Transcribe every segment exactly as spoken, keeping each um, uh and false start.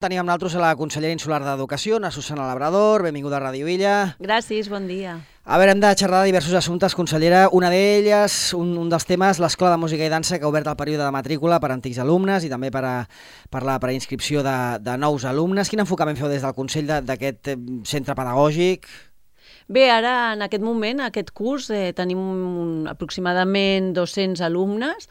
Tenim amb nosaltres a la consellera insular d'Educació, a Susana Labrador. Benvinguda a Ràdio Illa. Gràcies, bon dia. A veure, hem de xerrar de diversos assumptes, consellera. Una d'elles, un, un dels temes, l'Escola de Música i Dansa, que ha obert el període de matrícula per a antics alumnes i també per, a, per la preinscripció de, de nous alumnes. Quin enfocament feu des del Consell d'aquest centre pedagògic? Bé, ara, en aquest moment, aquest curs, eh, tenim un, aproximadament dos-cents alumnes.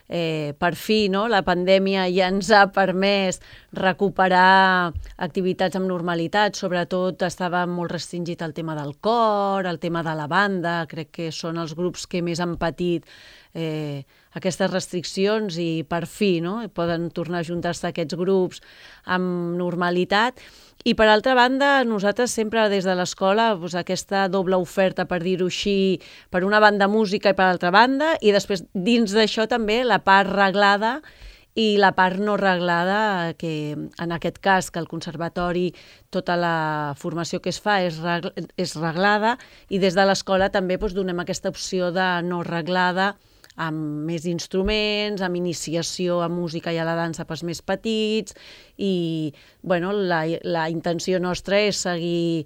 Eh, per fi, no? La pandèmia ja ens ha permès recuperar activitats amb normalitat, sobretot estava molt restringit el tema del cor, el tema de la banda, crec que són els grups que més han patit eh, aquestes restriccions i per fi, no? Poden tornar a juntar-se aquests grups amb normalitat. I per altra banda, nosaltres sempre des de l'escola doncs, aquesta doble oferta, per dir-ho així, per una banda música i per altra banda, i després dins d'això també la part reglada i la part no reglada, que en aquest cas que el conservatori tota la formació que es fa és, regl és reglada, i des de l'escola també doncs, donem aquesta opció de no reglada, amb més instruments, amb iniciació a música i a la dansa pels més petits, i bueno, la, la intenció nostra és seguir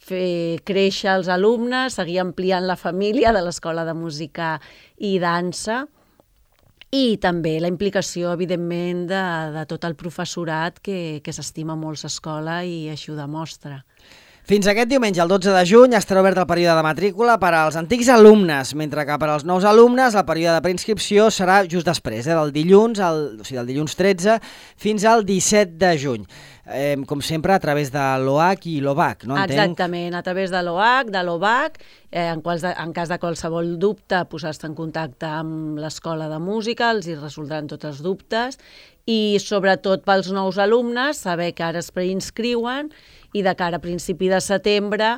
fer créixer els alumnes, seguir ampliant la família de l'Escola de Música i Dansa, i també la implicació, evidentment, de, de tot el professorat que, que s'estima molt l'escola i així ho demostra. Fins aquest diumenge, el dotze de juny, estarà obert el període de matrícula per als antics alumnes, mentre que per als nous alumnes el període de preinscripció serà just després, eh, del dilluns, el, o sigui, del dilluns tretze fins al disset de juny. Eh, com sempre, a través de l'O H i l'O B A C, no entenc? Exactament, a través de l'O H, de l'O B A C, eh, en, quals de, en cas de qualsevol dubte, posar-se en contacte amb l'Escola de Música, els hi resoldran tots els dubtes, i sobretot pels nous alumnes, saber que ara es preinscriuen, i de cara a principi de setembre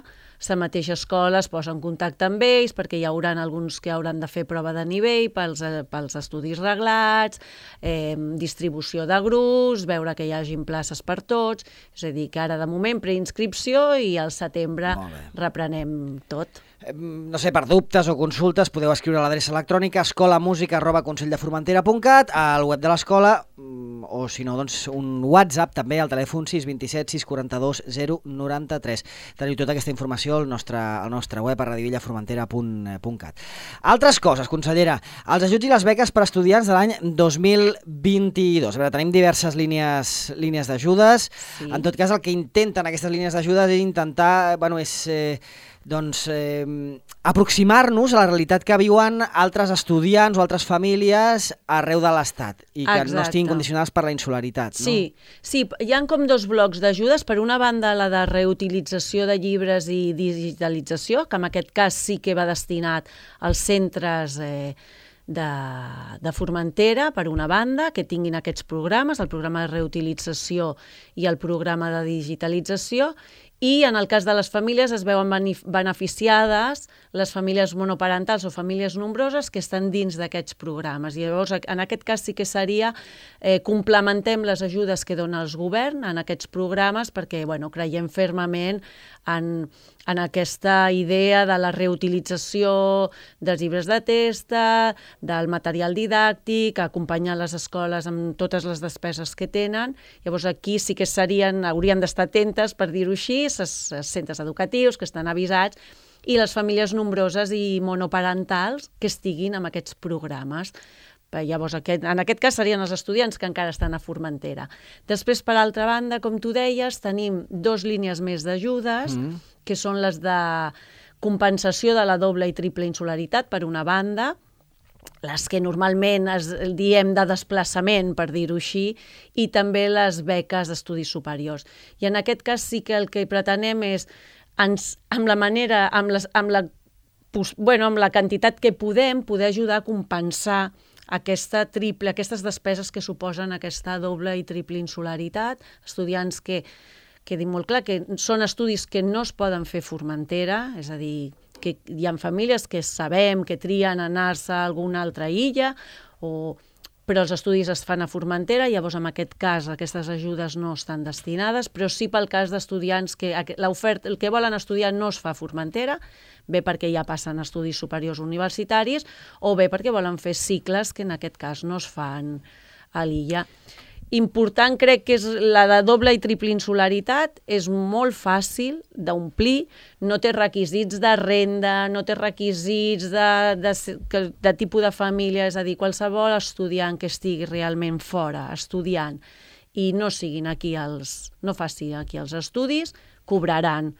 la mateixa escola es posa en contacte amb ells perquè hi haurà alguns que hauran de fer prova de nivell pels, pels estudis reglats, eh, distribució de grups, veure que hi hagin places per tots, és a dir, que ara de moment preinscripció i al setembre reprenem tot. No sé, per dubtes o consultes podeu escriure a l'adreça electrònica escolamusica arroba conselldeformentera punt cat, al web de l'escola, o si no, doncs un WhatsApp també al telèfon sis dos set sis quatre dos zero nou tres. Teniu tota aquesta informació al nostre, al nostre web a radiovillaformentera punt cat. Altres coses, consellera, els ajuts i les beques per a estudiants de l'any dos mil vint-i-dos. A veure, tenim diverses línies, línies d'ajudes. Sí. En tot cas, el que intenten aquestes línies d'ajudes és intentar, bueno, és... Eh, doncs, eh, aproximar-nos a la realitat que viuen altres estudiants o altres famílies arreu de l'Estat i que Exacte. No estiguin condicionats per la insularitat. No? Sí, sí, hi ha com dos blocs d'ajudes. Per una banda, la de reutilització de llibres i digitalització, que en aquest cas sí que va destinat als centres eh, de, de Formentera, per una banda, que tinguin aquests programes, el programa de reutilització i el programa de digitalització, i en el cas de les famílies es veuen beneficiades les famílies monoparentals o famílies nombroses que estan dins d'aquests programes. I llavors, en aquest cas sí que seria, eh, complementem les ajudes que dona el govern en aquests programes perquè bueno, creiem fermament en, en aquesta idea de la reutilització dels llibres de testa, del material didàctic, acompanyar les escoles amb totes les despeses que tenen. Llavors aquí sí que serien, haurien d'estar atentes, per dir-ho així, els centres educatius que estan avisats i les famílies nombroses i monoparentals que estiguin en aquests programes. Llavors, aquest, en aquest cas serien els estudiants que encara estan a Formentera. Després, per altra banda, com tu deies, tenim dos línies més d'ajudes, mm. que són les de compensació de la doble i triple insularitat, per una banda, les que normalment es diem de desplaçament, per dir-ho així, i també les beques d'estudis superiors. I en aquest cas sí que el que pretenem és, ens, amb la manera, amb, les, amb, la, bueno, amb la quantitat que podem, poder ajudar a compensar aquesta triple, aquestes despeses que suposen aquesta doble i triple insularitat, estudiants que, quedi molt clar, que són estudis que no es poden fer a Formentera, és a dir, que hi ha famílies que sabem que trien anar-se a alguna altra illa, o... però els estudis es fan a Formentera, llavors en aquest cas aquestes ajudes no estan destinades, però sí pel cas d'estudiants que l'oferta, el que volen estudiar no es fa a Formentera, bé perquè ja passen a estudis superiors universitaris, o bé perquè volen fer cicles que en aquest cas no es fan a l'illa. important crec que és la de doble i triple insularitat, és molt fàcil d'omplir, no té requisits de renda, no té requisits de, de, de, de tipus de família, és a dir, qualsevol estudiant que estigui realment fora, estudiant, i no siguin aquí els, no faci aquí els estudis, cobraran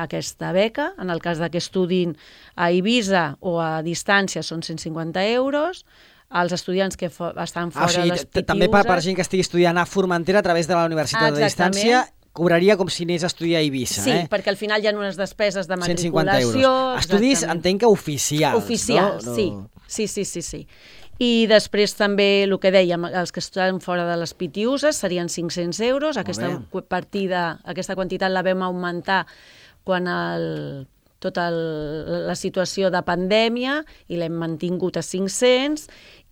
aquesta beca. En el cas de que estudin a Eivissa o a distància són cent cinquanta euros, els estudiants que fo estan fora ah, o sigui, de les Pitiuses... També per, per gent que estigui estudiant a Formentera a través de la Universitat ah, de Distància, cobraria com si anés a estudiar a Eivissa. Sí, eh? perquè al final hi ha unes despeses de matriculació... cent cinquanta euros. Estudis, entenc que oficials. Oficials, no? sí. sí. Sí, sí, sí. I després també, el que dèiem, els que estan fora de les Pitiuses serien cinc-cents euros. Aquesta partida, aquesta quantitat la vam augmentar quan el... tota el, la situació de pandèmia i l'hem mantingut a cinc-cents,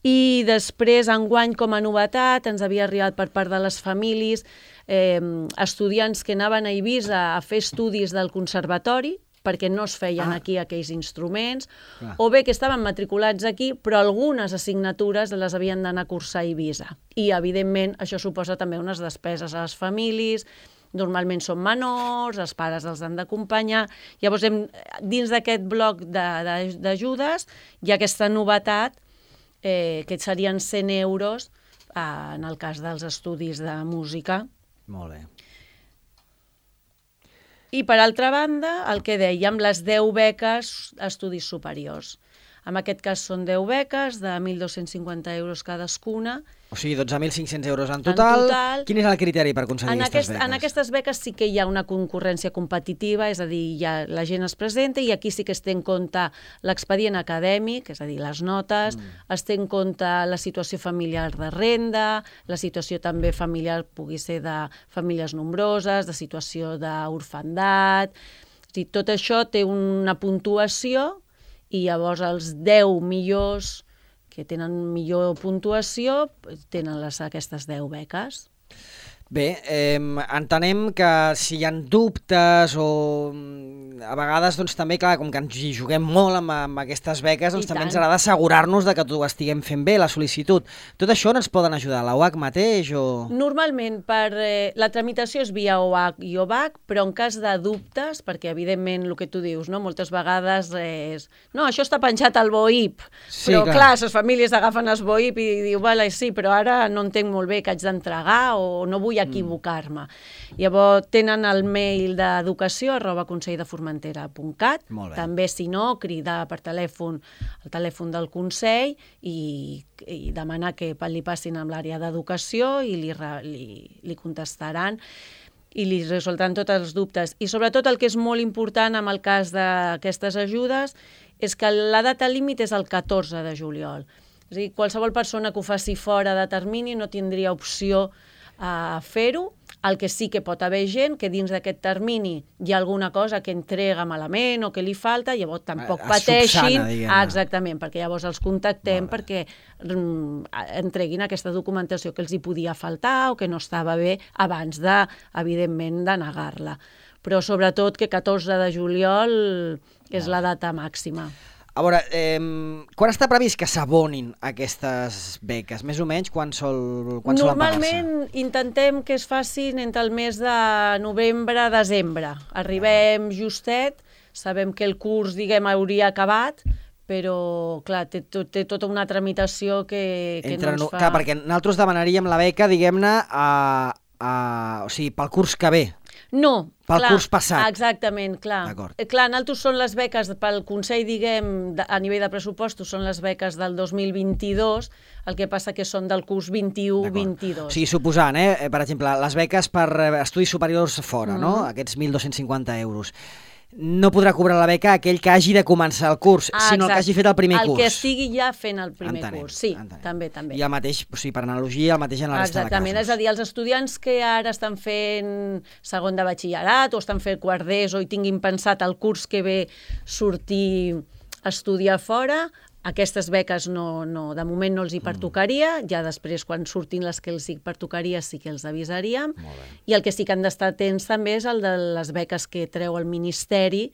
i després, enguany, com a novetat, ens havia arribat per part de les famílies eh, estudiants que anaven a Eivissa a fer estudis del conservatori, perquè no es feien ah. aquí aquells instruments, ah. o bé que estaven matriculats aquí, però algunes assignatures les havien d'anar a cursar a Eivissa. I, evidentment, això suposa també unes despeses a les famílies. Normalment són menors, els pares els han d'acompanyar. Llavors, hem, dins d'aquest bloc d'ajudes hi ha aquesta novetat, eh, que serien cent euros eh, en el cas dels estudis de música. Molt bé. I, per altra banda, el que dèiem, les deu beques a estudis superiors. En aquest cas són deu beques de mil dos-cents cinquanta euros cadascuna. O sigui, dotze mil cinc-cents euros en total. en total. Quin és el criteri per aconseguir en aquestes aquest, beques? En aquestes beques sí que hi ha una concurrència competitiva, és a dir, ja la gent es presenta i aquí sí que es té en compte l'expedient acadèmic, és a dir, les notes, mm. es té en compte la situació familiar de renda, la situació també familiar pugui ser de famílies nombroses, de situació d'orfandat. És a dir, tot això té una puntuació i llavors els deu millors que tenen millor puntuació tenen les, aquestes deu beques. Bé, eh, entenem que si hi ha dubtes o a vegades doncs, també, clar, com que ens hi juguem molt amb, amb aquestes beques, doncs, també ens agrada assegurar-nos de que ho estiguem fent bé, la sol·licitud. Tot això no ens poden ajudar, la U A C mateix? O... Normalment, per, eh, la tramitació és via O A C i O V A C, però en cas de dubtes, perquè evidentment el que tu dius, no? Moltes vegades és... No, això està penjat al B O I P, sí, però clar, clar les famílies agafen el B O I P i diuen, vale, sí, però ara no entenc molt bé que haig d'entregar o no vull equivocar-me. Mm. Llavors tenen el mail d'educació arroba consell de formentera punt cat, també si no cridar per telèfon al telèfon del Consell i, i demanar que li passin amb l'àrea d'educació i li, li, li contestaran i li resoldran tots els dubtes. I sobretot el que és molt important en el cas d'aquestes ajudes és que la data límit és el catorze de juliol. És a dir, qualsevol persona que ho faci fora de termini no tindria opció a fer-ho. El que sí que pot haver gent que dins d'aquest termini hi ha alguna cosa que entrega malament o que li falta, llavors tampoc pateixin. Ah, exactament, perquè llavors els contactem vale. perquè mm, entreguin aquesta documentació que els hi podia faltar o que no estava bé abans de, evidentment, de negar-la. Però sobretot que catorze de juliol és la data màxima. A veure, eh, quan està previst que s'abonin aquestes beques? Més o menys, quan, sol, quan solen pagar-se? Normalment intentem que es facin entre el mes de novembre a desembre. Arribem justet, sabem que el curs, diguem, hauria acabat, però, clar, té, té tota una tramitació que, que entre, no ens fa... Clar, perquè nosaltres demanaríem la beca, diguem-ne, a, a, o sigui, pel curs que ve. No, pel clar, curs passat. Exactament, clar. Clar, nosaltres són les beques pel Consell, diguem, a nivell de pressupostos, són les beques del dos mil vint-i-dos, el que passa que són del curs vint-i-u vint-i-dos. O sigui, suposant, eh, per exemple, les beques per estudis superiors fora, mm-hmm. no? Aquests mil dos-cents cinquanta euros. No podrà cobrar la beca aquell que hagi de començar el curs, ah, sinó el que hagi fet el primer el curs. El que estigui ja fent el primer entenem, curs, sí, entenem. també, també. I el mateix, o sigui, per analogia, el mateix en la resta de casos. Exactament, és a dir, els estudiants que ara estan fent segon de batxillerat o estan fent quart d'ESO i tinguin pensat el curs que ve sortir a estudiar fora, aquestes beques no, no, de moment no els hi pertocaria, ja després quan surtin les que els hi pertocaria sí que els avisaríem, i el que sí que han d'estar atents també és el de les beques que treu el Ministeri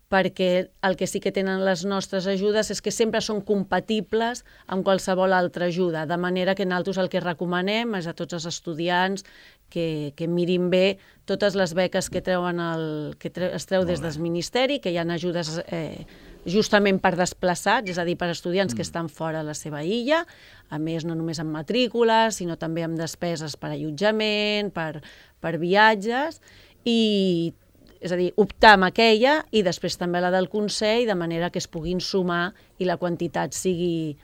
perquè el que sí que tenen les nostres ajudes és que sempre són compatibles amb qualsevol altra ajuda, de manera que nosaltres el que recomanem és a tots els estudiants que, que mirin bé totes les beques que, treuen el, que tre, es treu des del Ministeri, que hi ha ajudes eh, justament per desplaçats, és a dir, per estudiants mm. que estan fora de la seva illa, a més no només amb matrícules, sinó també amb despeses per allotjament, per, per viatges, i és a dir, optar amb aquella i després també la del Consell, de manera que es puguin sumar i la quantitat sigui,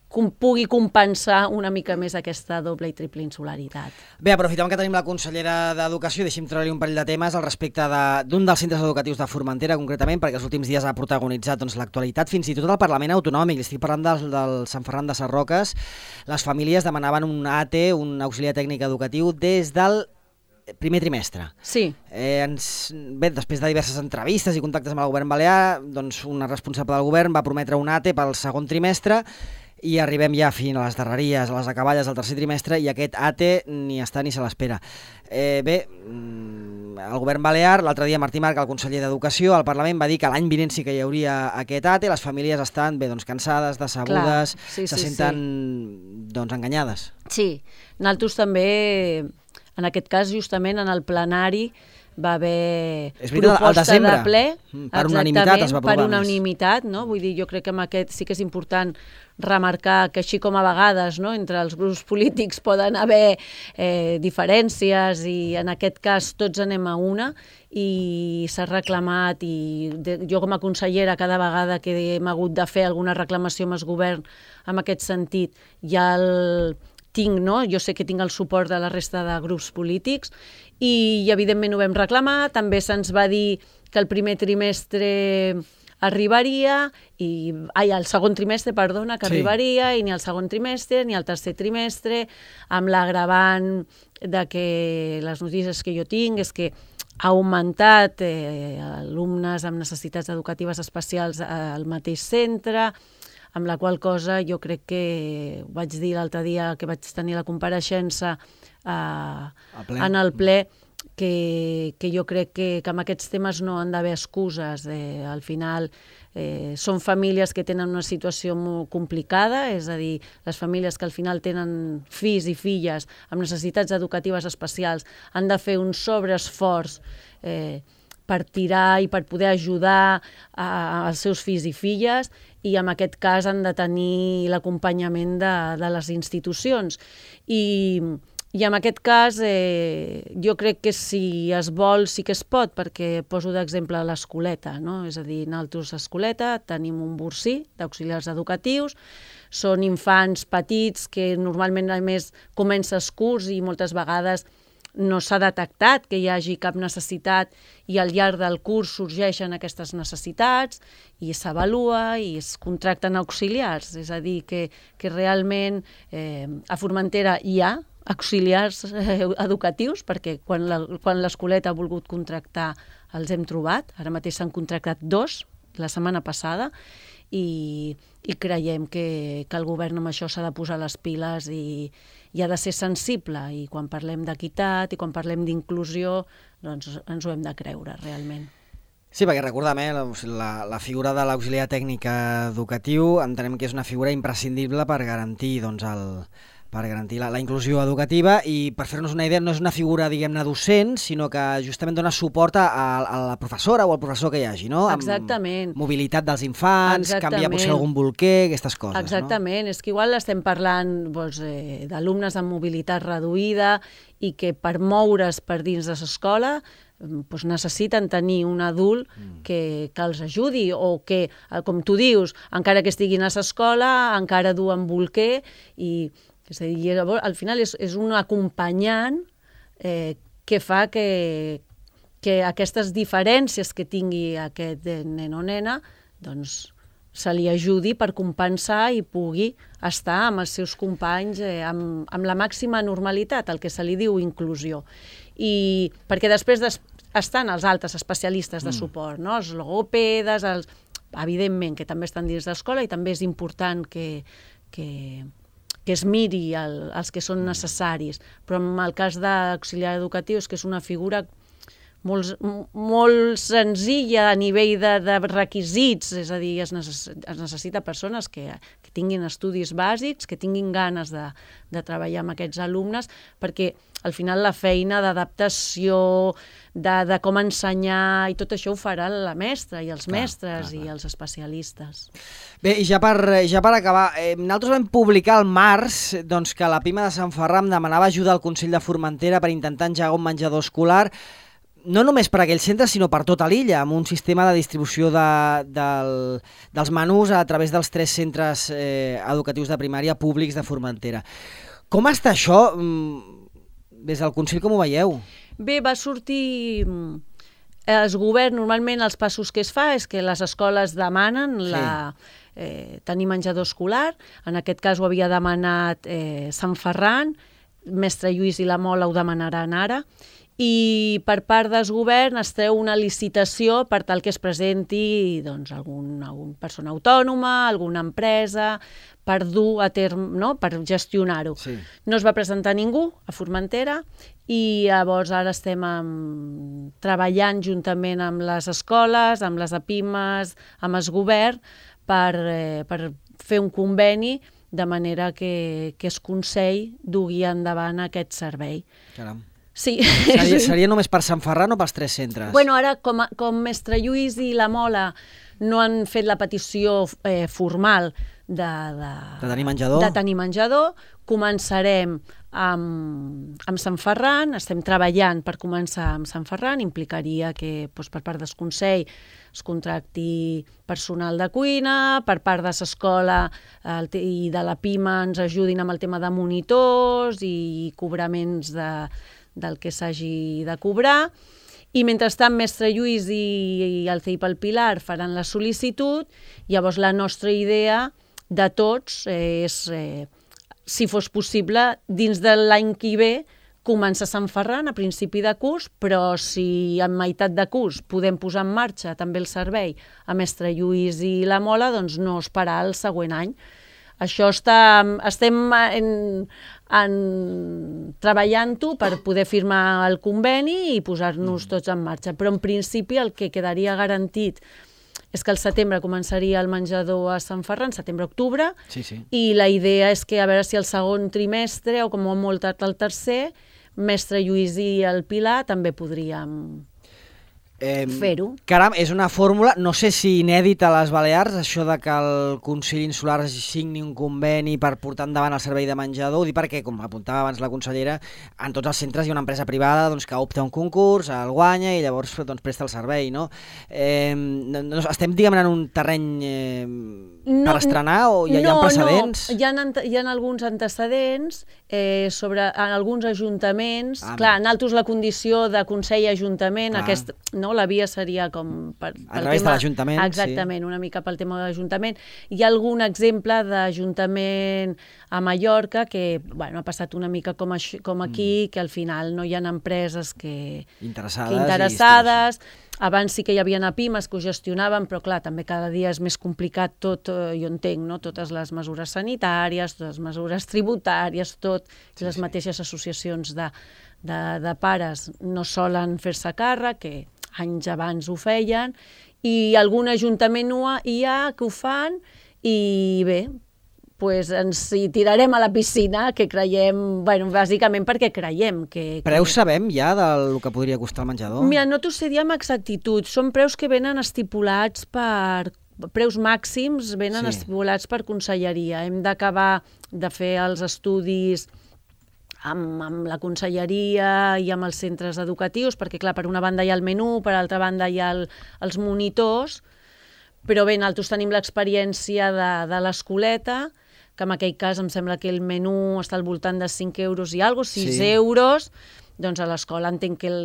com, pugui compensar una mica més aquesta doble i triple insularitat. Bé, aprofitem que tenim la consellera d'Educació, deixi'm treure-li un parell de temes al respecte d'un dels centres educatius de Formentera, concretament, perquè els últims dies ha protagonitzat doncs, l'actualitat, fins i tot el Parlament Autonòmic. Estic parlant del, del Sant Ferran de Sarroques. Les famílies demanaven un A T, un auxiliar tècnic educatiu, des del primer trimestre. Sí. Eh, ens, bé, després de diverses entrevistes i contactes amb el govern balear, doncs una responsable del govern va prometre un A T pel segon trimestre i arribem ja fins a les darreries, a les acaballes del tercer trimestre, i aquest A T ni està ni se l'espera. Eh, bé, el govern balear, l'altre dia Martí Marc, el conseller d'Educació, al Parlament va dir que l'any vinent sí que hi hauria aquest A T, les famílies estan bé, doncs, cansades, decebudes, sí, sí, se senten sí. doncs, enganyades. Sí, nosaltres també... En aquest cas, justament, en el plenari va haver veritat, proposta de ple, per unanimitat es va aprovar per unanimitat, no? Vull dir, jo crec que amb aquest sí que és important remarcar que així com a vegades no, entre els grups polítics poden haver eh, diferències i en aquest cas tots anem a una i s'ha reclamat i de, jo com a consellera cada vegada que hem hagut de fer alguna reclamació amb el govern en aquest sentit ja el... tinc, no? Jo sé que tinc el suport de la resta de grups polítics i, i evidentment ho vam reclamar, també se'ns va dir que el primer trimestre arribaria, i, ai, el segon trimestre, perdona, que sí. arribaria, i ni el segon trimestre ni el tercer trimestre, amb l'agravant de que les notícies que jo tinc és que ha augmentat eh, alumnes amb necessitats educatives especials al mateix centre, amb la qual cosa jo crec que ho vaig dir l'altre dia que vaig tenir la compareixença eh, en el ple, que, que jo crec que, que amb aquests temes no han d'haver excuses. Eh, al final eh, són famílies que tenen una situació molt complicada, és a dir, les famílies que al final tenen fills i filles amb necessitats educatives especials han de fer un sobreesforç eh, per tirar i per poder ajudar a, als seus fills i filles, i en aquest cas han de tenir l'acompanyament de, de les institucions. I, i en aquest cas eh, jo crec que si es vol sí que es pot, perquè poso d'exemple l'escoleta, no? És a dir, nosaltres a escoleta tenim un borsí d'auxiliars educatius, són infants petits que normalment a més comença el curs i moltes vegades no s'ha detectat que hi hagi cap necessitat i al llarg del curs sorgeixen aquestes necessitats i s'avalua i es contracten auxiliars. És a dir, que, que realment eh, a Formentera hi ha auxiliars eh, educatius, perquè quan l'escoleta ha volgut contractar els hem trobat. Ara mateix s'han contractat dos la setmana passada i, i creiem que, que el govern amb això s'ha de posar les piles i, i ha de ser sensible, i quan parlem d'equitat i quan parlem d'inclusió doncs ens ho hem de creure realment. Sí, perquè recordem, eh, la, la figura de l'auxiliar tècnic educatiu entenem que és una figura imprescindible per garantir doncs, el, per garantir la, la inclusió educativa, i per fer-nos una idea no és una figura, diguem-ne, docent, sinó que justament dona suport a, a la professora o al professor que hi hagi, no? Exactament. Amb mobilitat dels infants, Exactament. Canviar potser algun bolquer, aquestes coses. Exactament, no? És que igual estem parlant doncs, eh, d'alumnes amb mobilitat reduïda i que per moure's per dins de l'escola doncs necessiten tenir un adult que, que els ajudi, o que, com tu dius, encara que estiguin a l'escola, encara duen bolquer, i és a dir, al final és, és un acompanyant eh, que fa que, que aquestes diferències que tingui aquest nen o nena doncs se li ajudi per compensar i pugui estar amb els seus companys eh, amb, amb la màxima normalitat, el que se li diu inclusió. I perquè després des, estan els altres especialistes de suport, no? Els logopedes, els, evidentment que també estan dins l'escola, i també és important que, que, que es miri el, els que són necessaris, però en el cas d'auxiliar educatiu és que és una figura molt, molt senzilla a nivell de, de requisits, és a dir, es, necess, es necessita persones que, que tinguin estudis bàsics, que tinguin ganes de, de treballar amb aquests alumnes, perquè al final la feina d'adaptació, de, de com ensenyar i tot això ho farà la mestra i els clar, mestres clar, clar. i els especialistes. Bé, i ja per, ja per acabar, eh, nosaltres vam publicar al març doncs, que la Pima de Sant Ferran demanava ajuda al Consell de Formentera per intentar engegar un menjador escolar, no només per aquells centres, sinó per tota l'illa, amb un sistema de distribució de, del, dels menús a través dels tres centres eh, educatius de primària públics de Formentera. Com està això? Des del Consell, com ho veieu? Bé, va sortir... El govern, normalment, els passos que es fa és que les escoles demanen sí. la, eh, tenir menjador escolar. En aquest cas ho havia demanat eh, Sant Ferran, Mestre Lluís i la Mola ho demanaran ara. I per part del govern es treu una licitació per tal que es presenti doncs, algun, algun persona autònoma, alguna empresa, per dur a terme, no? Per gestionar-ho. Sí. No es va presentar ningú a Formentera i llavors ara estem amb, treballant juntament amb les escoles, amb les APIMES, amb el govern, per, eh, per fer un conveni de manera que, que el Consell dugui endavant aquest servei. Caram. Sí. Seria, seria només per Sant Ferran o pels tres centres? Bueno, ara, com, a, com Mestre Lluís i la Mola no han fet la petició eh, formal de, de, de tenir menjador, de tenir menjador començarem amb, amb Sant Ferran, estem treballant per començar amb Sant Ferran, implicaria que doncs, per part del Consell es contracti personal de cuina, per part de l'escola i de la Pima ens ajudin amb el tema de monitors i cobraments de del que s'hagi de cobrar, i mentrestant Mestre Lluís i, i el C I P al Pilar faran la sol·licitud. Llavors la nostra idea de tots eh, és, eh, si fos possible, dins de l'any que ve, començar a Sant Ferran a principi de curs, però si en meitat de curs podem posar en marxa també el servei a Mestre Lluís i la Mola, doncs no esperar el següent any. Això està, estem en, en, treballant-ho per poder firmar el conveni i posar-nos tots en marxa. Però en principi el que quedaria garantit és que al setembre començaria el menjador a Sant Ferran, setembre-octubre, sí, sí. i la idea és que a veure si el segon trimestre, o com a molt tard el tercer, Mestre Lluís i el Pilar també podríem... Eh, fer-ho. Caram, és una fórmula, no sé si inèdita a les Balears, això de que el Consell Insular signi un conveni per portar endavant el servei de menjador, ho dic perquè, com apuntava abans la consellera, en tots els centres hi ha una empresa privada doncs, que opta un concurs, el guanya i llavors doncs, presta el servei, no? Eh, no, no estem, diguem, en un terreny eh, no, per estrenar o hi ha, no, hi ha precedents? No, hi ha, hi ha alguns antecedents eh, sobre en alguns ajuntaments, ah, clar, en altres la condició de Consell-Ajuntament, aquest... No, la via seria com... Per, a través tema, de l'Ajuntament, exactament, sí. Una mica pel tema de l'Ajuntament. Hi ha algun exemple d'Ajuntament a Mallorca que bueno, ha passat una mica com, així, com aquí, mm. que al final no hi ha empreses que interessades. Que interessades. Abans sí que hi havia APIMES que ho gestionaven, però clar, també cada dia és més complicat tot, eh, jo entenc, no? Totes les mesures sanitàries, totes les mesures tributàries, tot, sí, les sí. mateixes associacions de, de, de pares no solen fer-se càrrec, que anys abans ho feien, i algun ajuntament hi ha que ho fan, i bé, pues ens hi tirarem a la piscina, que creiem, bueno, bàsicament perquè creiem que... Preus sabem ja del que podria costar el menjador? Mira, no t'ho sé dir amb exactitud, són preus que venen estipulats per... preus màxims venen sí. estipulats per conselleria. Hem d'acabar de fer els estudis amb, amb la conselleria i amb els centres educatius, perquè clar, per una banda hi ha el menú, per altra banda hi ha el, els monitors, però bé, nosaltres tenim l'experiència de, de l'escoleta, que en aquell cas em sembla que el menú està al voltant de cinc euros i alguna cosa, sis sí. euros, doncs a l'escola entenc que el,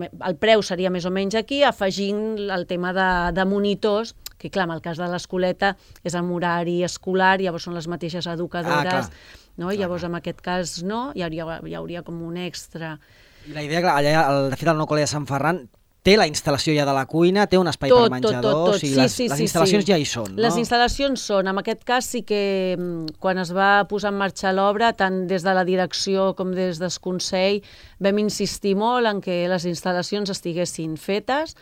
el preu seria més o menys aquí, afegint el tema de, de monitors, que clar, en el cas de l'escoleta és amb horari escolar, llavors són les mateixes educadores, ah, no? I llavors en aquest cas no, hi hauria, hi hauria com un extra. I la idea, clar, allà, de fet, al nou col·le de Sant Ferran té la instal·lació ja de la cuina, té un espai tot, per menjador, tot, tot, tot. o sigui, Sí, les, sí, les sí, instal·lacions sí. ja hi són, no? Les instal·lacions són, en aquest cas sí que quan es va posar en marxa l'obra, tant des de la direcció com des del Consell, vam insistir molt en que les instal·lacions estiguessin fetes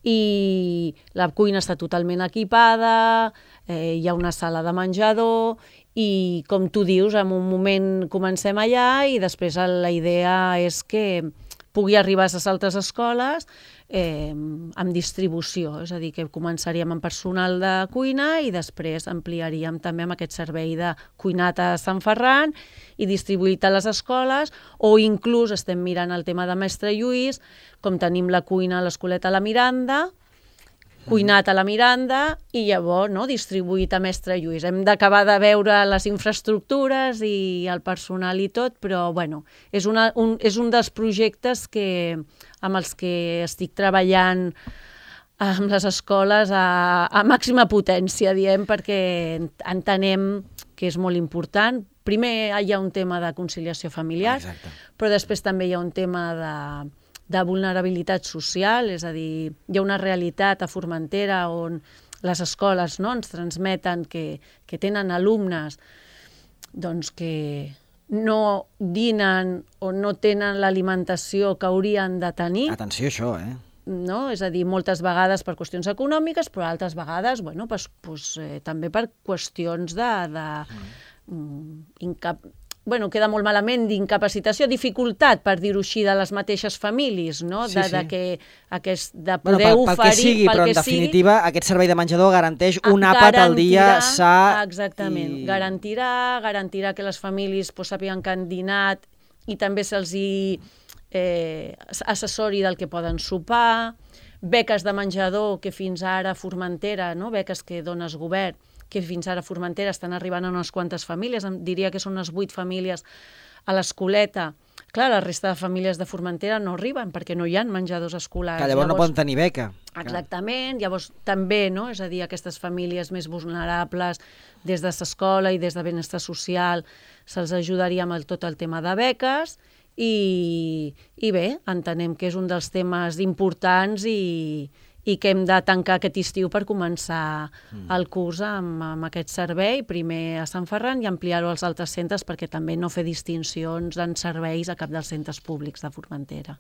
i la cuina està totalment equipada, eh, hi ha una sala de menjador i, com tu dius, en un moment comencem allà i després la idea és que pugui arribar a les altres escoles eh, amb distribució, és a dir, que començaríem amb personal de cuina i després ampliaríem també amb aquest servei de cuinat a Sant Ferran i distribuït a les escoles, o inclús estem mirant el tema de Mestre Lluís, com tenim la cuina a l'Escoleta a la Miranda, cuinat a la Miranda i llavors no, distribuït a Mestre Lluís. Hem d'acabar de veure les infraestructures i el personal i tot, però bueno, és, una, un, és un dels projectes que, amb els que estic treballant amb les escoles a, a màxima potència, diem, perquè entenem que és molt important. Primer hi ha un tema de conciliació familiar, Exacte. Però després també hi ha un tema de... de vulnerabilitat social, és a dir, hi ha una realitat a Formentera on les escoles no, ens transmeten que, que tenen alumnes doncs, que no dinen o no tenen l'alimentació que haurien de tenir. Atenció a això, eh? No? És a dir, moltes vegades per qüestions econòmiques, però altres vegades bueno, pues, pues, eh, també per qüestions de... de mm. incap bueno, queda molt malament d'incapacitació, dificultat, per dir-ho així, de les mateixes famílies, no? De, sí, sí. de, que, aquest, de poder bueno, pel, pel oferir... Que sigui, pel però que en definitiva sigui, aquest servei de menjador garanteix un àpat al dia sa... Exactament, i... garantirà, garantirà que les famílies pues, sàpiguen que han dinat i també se'ls hi eh, assessori del que poden sopar, beques de menjador que fins ara a Formentera, no? Beques que dones govern, que fins ara a Formentera estan arribant a unes quantes famílies, diria que són unes vuit famílies a l'Escoleta. Clar, la resta de famílies de Formentera no arriben perquè no hi ha menjadors escolars. Que llavors, llavors no poden tenir beca. Exactament, clar. Llavors també, no? És a dir, aquestes famílies més vulnerables, des de l'escola i des de benestar social, se'ls ajudaria amb el, tot el tema de beques i, i bé, entenem que és un dels temes importants i i que hem de tancar aquest estiu per començar mm. el curs amb, amb aquest servei, primer a Sant Ferran i ampliar-ho als altres centres perquè també no fer distincions en serveis a cap dels centres públics de Formentera.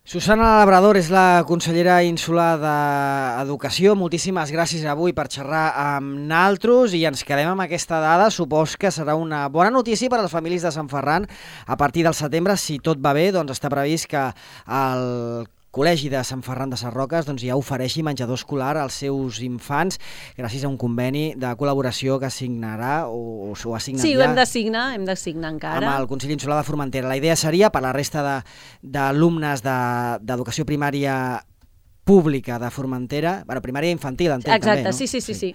Susana Labrador és la consellera insular d'Educació. Moltíssimes gràcies avui per xerrar amb naltros i ens quedem amb aquesta dada. Supos que serà una bona notícia per a les famílies de Sant Ferran. A partir del setembre, si tot va bé, doncs està previst que el Col·legi de Sant Ferran de Sarroques doncs, ja ofereixi menjador escolar als seus infants gràcies a un conveni de col·laboració que signarà o, o s'ho ha signat sí, ja. Sí, ho hem de signar, hem de signar encara. Amb el Consell Insular de Formentera. La idea seria per la resta d'alumnes d'educació de, primària pública de Formentera, bueno, primària infantil, entenc Exacte, també, no? sí, sí, sí, sí.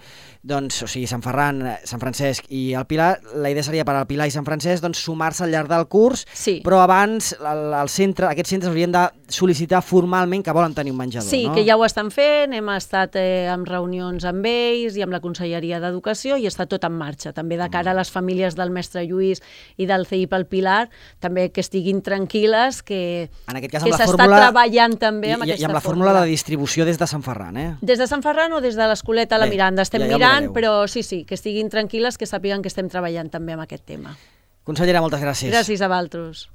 Doncs, o sigui, Sant Ferran, Sant Francesc i el Pilar, la idea seria per al Pilar i Sant Francesc doncs, sumar-se al llarg del curs, sí. Però abans el, el centre, aquests centres haurien de sol·licitar formalment que volen tenir un menjador, sí, no? Sí, que ja ho estan fent, hem estat eh, en reunions amb ells i amb la Conselleria d'Educació i està tot en marxa. També de cara a les famílies del Mestre Lluís i del C I P al Pilar, també que estiguin tranquil·les, que, en aquest cas, que s'està treballant també amb i, aquesta i amb la fórmula de distribució des de Sant Ferran, eh? Des de Sant Ferran o des de l'Escoleta a la Miranda. Estem ja, ja mirant, però sí, sí, que estiguin tranquil·les, que sàpiguen que estem treballant també amb aquest tema. Consellera, moltes gràcies. Gràcies a vosaltres.